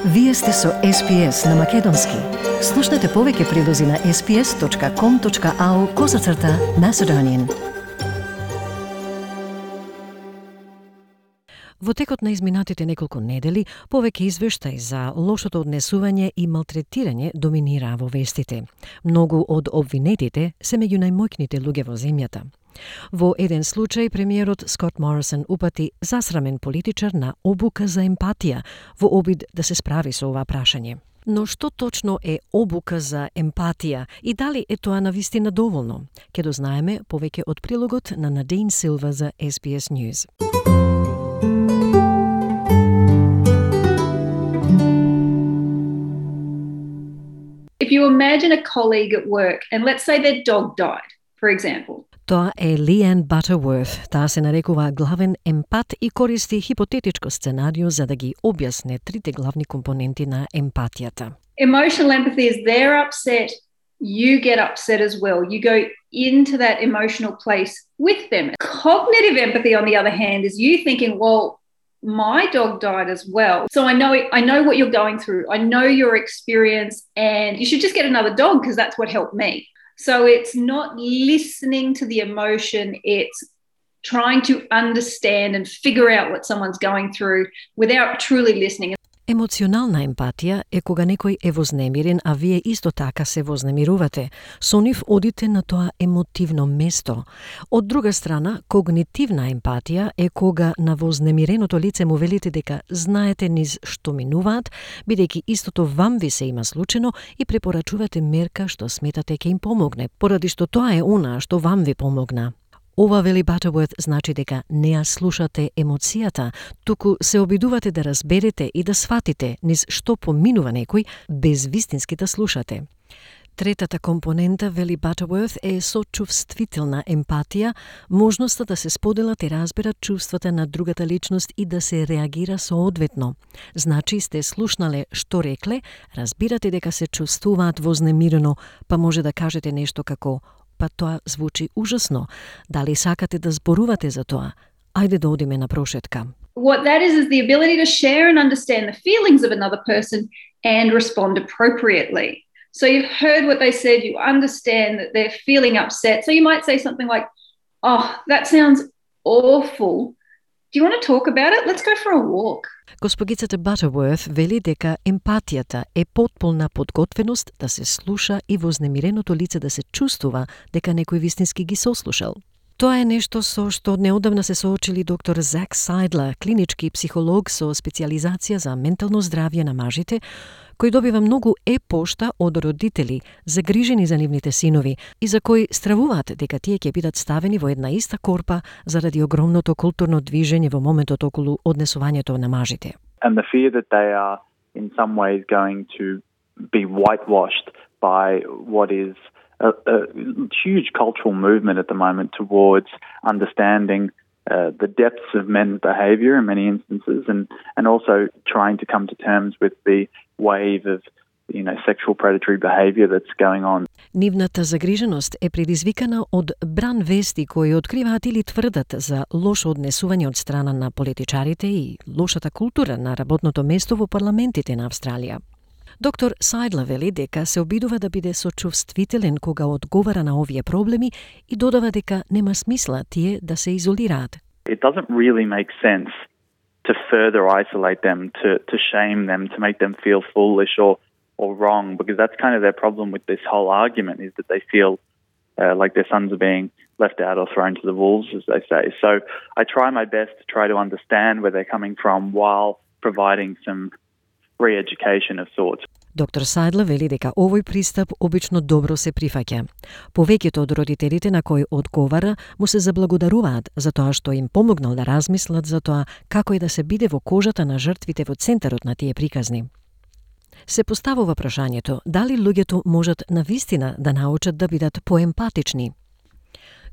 Вие сте со SPS на Македонски. Слушнете повеќе прилози на sps.com.au/Macedonian. Во текот на изминатите неколку недели, повеќе извештаи за лошото однесување и малтретирање доминираа во вестите. Многу од обвинетите се меѓу најмоќните луѓе во земјата. Во еден случај, премиерот Скот Морисон упати засрамен политичар на обука за емпатија во обид да се справи со ова прашање. Но што точно е обука за емпатија и дали е тоа навистина доволно? Ке дознаеме повеќе од прилогот на Надин Силва за SBS News. If you imagine a colleague at work and let's say their dog died, for example. Тоа е Leanne Butterworth. Таа се нарекува главен емпат и користи хипотетичко сценарио за да ги објасне трите главни компоненти на емпатијата. Emotional empathy is they're upset, you get upset as well. You go into that emotional place with them. Cognitive empathy, on the other hand, is you thinking, well, my dog died as well. So I know what you're going through. I know your experience and you should just get another dog because that's what helped me. So it's not listening to the emotion, it's trying to understand and figure out what someone's going through without truly listening. Емоционална емпатија е кога некој е вознемирен, а вие исто така се вознемирувате. Со нив одите на тоа емотивно место. Од друга страна, когнитивна емпатија е кога на вознемиреното лице му велите дека знаете низ што минуваат, бидејќи истото вам ви се има случено и препорачувате мерка што сметате ќе им помогне, поради што тоа е она што вам ви помогна. Ова, вели Butterworth, значи дека не ја слушате емоцијата, туку се обидувате да разберете и да сватите низ што поминува некој, без вистински да слушате. Третата компонента, вели Butterworth, е сочувствителна емпатија, можноста да се споделат и разберат чувствата на другата личност и да се реагира соодветно. Значи сте слушнале што рекле, разбирате дека се чувствуваат вознемирено, па може да кажете нешто како па тоа звучи ужасно. Дали сакате да зборувате за тоа? Ајде да одиме на прошетка. What that is the ability to share and understand the feelings of another person and respond appropriately. So you've heard what they said, you understand that they're feeling upset. So you might say something like, "Oh, that sounds awful. Do you want to talk about it? Let's go for a walk." Госпогицата Butterworth вели дека емпатијата е потполна подготвеност да се слуша и вознемиреното лице да се чувствува дека некој вистински ги сослушал. Тоа е нешто со што неодамна се соочили доктор Зак Сайдлер, клинички психолог со специјализација за ментално здравје на мажите, кој добива многу пошта од родители загрижени за нивните синови и за кои стравуваат дека тие ќе бидат ставени во една иста корпа заради огромното културно движење во моментот околу однесувањето на мажите. And the fear that they are in some ways going to be whitewashed by what is a huge cultural movement at the moment towards understanding the depths of men's behaviour in many instances and also trying to come to terms with the wave of sexual predatory behaviour that's going on. Нивната загриженост е предизвикана од бран вести кои откриваат или тврдат за лошо однесување од страна на политичарите и лошата култура на работното место во парламентите на Австралија. Доктор Сайдлер вели дека се обидува да биде сочувствителен кога одговара на овие проблеми и додава дека нема смисла тие да се изолираат. It doesn't really make sense to further isolate them, to shame them, to make them feel foolish or wrong, because that's kind of their problem with this whole argument, is that they feel like their sons are being left out or thrown to the wolves, as they say. So I try my best to try to understand where they're coming from while providing some re-education of sorts. Доктор Сайдлер вели дека овој пристап обично добро се прифаќа. Повеќето од родителите на кои одговара му се заблагодаруваат за тоа што им помогнал да размислат за тоа како е да се биде во кожата на жртвите во центарот на тие приказни. Се поставува прашањето дали луѓето можат навистина да научат да бидат поемпатични.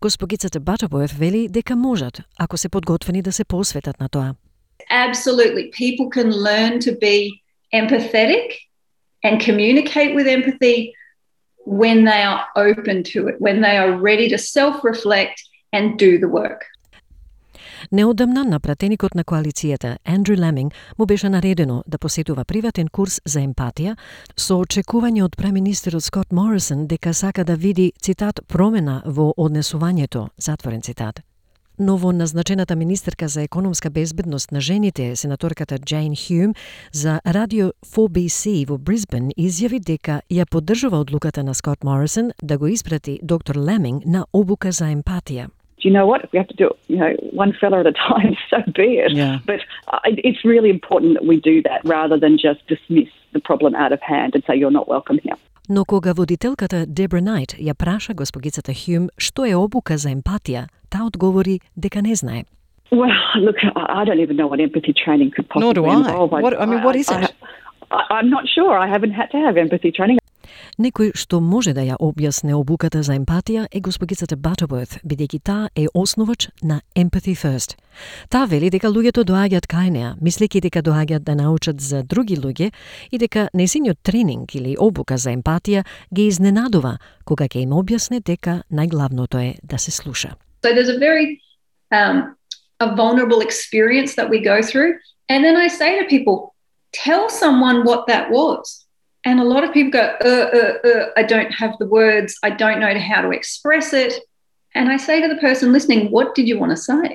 Госпогицата Butterworth вели дека можат, ако се подготвени да се посветат на тоа. Absolutely. People can learn to be empathetic and communicate with empathy when they are open to it, when they are ready to self-reflect and do the work. Неодамна на пратеникот на коалицијата Андрю Ламинг му беше наредено да посетува приватен курс за емпатија со очекување од преминистерот Скот Морисон дека сака да види, цитат, промена во однесувањето, затворен цитат. Ново назначената министерка за економска безбедност на жените, сенаторката Джейн Хюм, за радио 4BC во Брисбен изјави дека ја поддржува одлуката на Скот Морисон да го испрати доктор Ламинг на обука за емпатија. You know what? We have to do it, one fella at a time, so be it. Yeah. But it's really important that we do that rather than just dismiss the problem out of hand and say you're not welcome here. Но кога водителката Дебра Найт ја праша госпогицата Хюм што е обука за емпатија, таа одговори дека не знае. Well, look, I don't even know what empathy training could possibly Nor do I. involve. What is it? I'm not sure. I haven't had to have empathy training. Некој што може да ја објасне обуката за емпатија е госпогицата Butterworth, бидејќи таа е основач на Empathy First. Таа вели дека луѓето доаѓаат кај неа, мислејќи дека доаѓаат да научат за други луѓе и дека несиниот тренинг или обука за емпатија ги изненадува кога ќе им објасне дека најглавното е да се слуша. So there's a very a vulnerable experience that we go through, and then I say to people, tell someone what that was. And a lot of people go, I don't have the words, I don't know how to express it. And I say to the person listening, what did you want to say?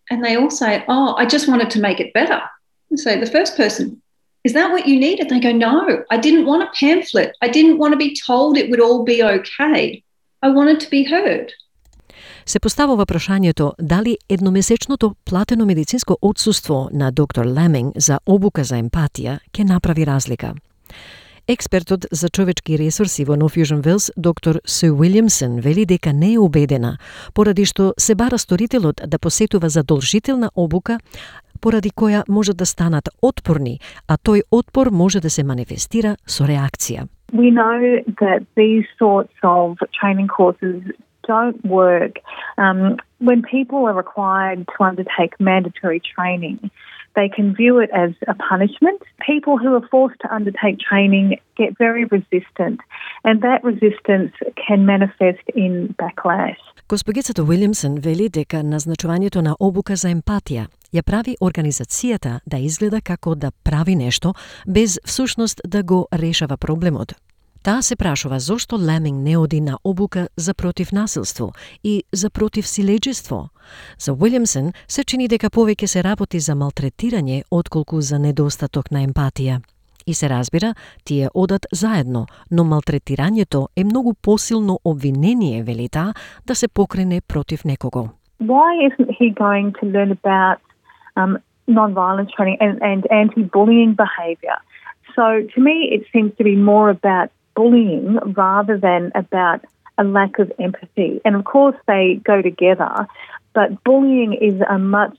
And they all say, oh, I just wanted to make it better. And so the first person, is that what you needed? They go, no, I didn't want a pamphlet. I didn't want to be told it would all be okay. I wanted to be heard. Се поставува прашањето дали едномесечното платено медицинско отсуство на доктор Ламинг за обука за емпатија ќе направи разлика. Експертот за човечки ресурси во North Fusion Wales, доктор Су Уилјамсон, вели дека не е убедена, поради што се бара сторителот да посетува задолжителна обука, поради која може да станат отпорни, а тој отпор може да се манифестира со реакција. We know that these sorts of training courses don't work. When people are required to undertake mandatory training, they can view it as a punishment. People who are forced to undertake training get very resistant, and that resistance can manifest in backlash. Госпогицата Уилјамсон вели дека назначувањето на обука за емпатија ја прави организацијата да изгледа како да прави нешто, без всушност да го решава проблемот. Таа се прашува зошто Ламинг не оди на обука за против насилство и за против силеџество. За Уилјамсон се чини дека повеќе се работи за малтретирање отколку за недостаток на емпатија. И се разбира, тие одат заедно, но малтретирањето е многу посилно обвинение, вели таа, да се покрене против некого. Why isn't he going to learn about non-violence training and anti-bullying behaviour? So to me it seems to be more about bullying rather than about a lack of empathy. And of course they go together, but bullying is a much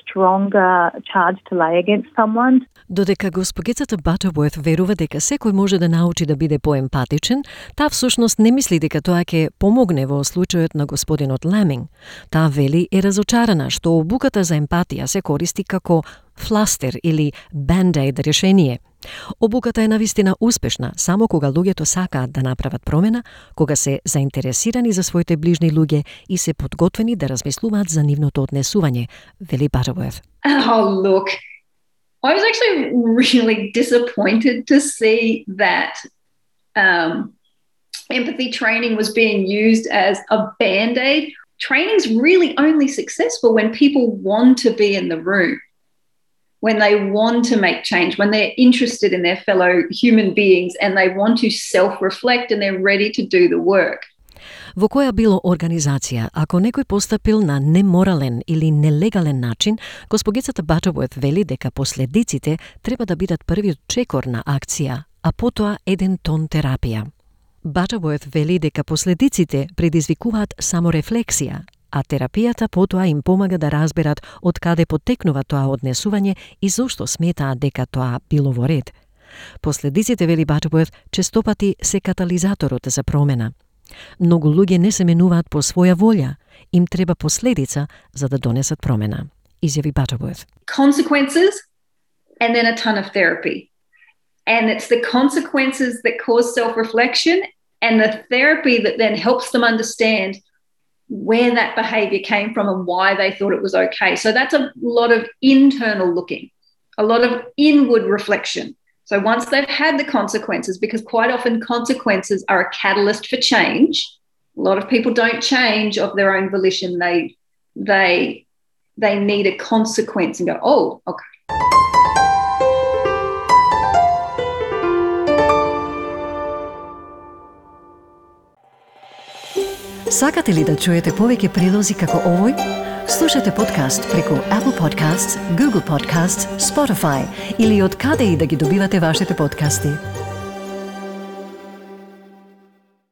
stronger charge to lay against someone. Додека госпогицата Butterworth верува дека секој може да научи да биде поемпатичен, таа всушност не мисли дека тоа ќе помогне во случајот на господинот Ламинг. Таа вели е разочарана што обуката за емпатија се користи како фластер или банд-аид решение. Обуката е навистина успешна само кога луѓето сакаат да направат промена, кога се заинтересирани за своите ближни луѓе и се подготвени да размислуваат за нивното однесување, вели Butterworth. Oh, look, I was actually really disappointed to see that empathy training was being used as a band-aid. Training's really only successful when people want to be in the room, when they want to make change, when they're interested in their fellow human beings and they want to self-reflect and they're ready to do the work. Во која било организација, ако некој постапил на неморален или нелегален начин, госпогицата Butterworth вели дека последиците треба да бидат првиот чекор на акција, а потоа еден тон терапија. Butterworth вели дека последиците предизвикуваат саморефлексија, а терапијата потоа им помага да разберат од каде потекнува тоа однесување и зошто сметаат дека тоа било во ред. Последиците, вели Butterworth, честопати се катализаторот за промена. Многу луѓе не се менуваат по своја волја, им треба последица за да донесат промена, изјави Butterworth. Consequences and then a ton of therapy. And it's the consequences that cause self-reflection and the therapy that then helps them understand where that behavior came from and why they thought it was okay. So that's a lot of internal looking, a lot of inward reflection. So once they've had the consequences, because quite often consequences are a catalyst for change. A lot of people don't change of their own volition. They need a consequence and go, oh, okay. Сакате ли да чуете повеќе прилози како овој? Слушате подкаст преку Apple Podcasts, Google Podcasts, Spotify или од каде и да ги добивате вашите подкасти.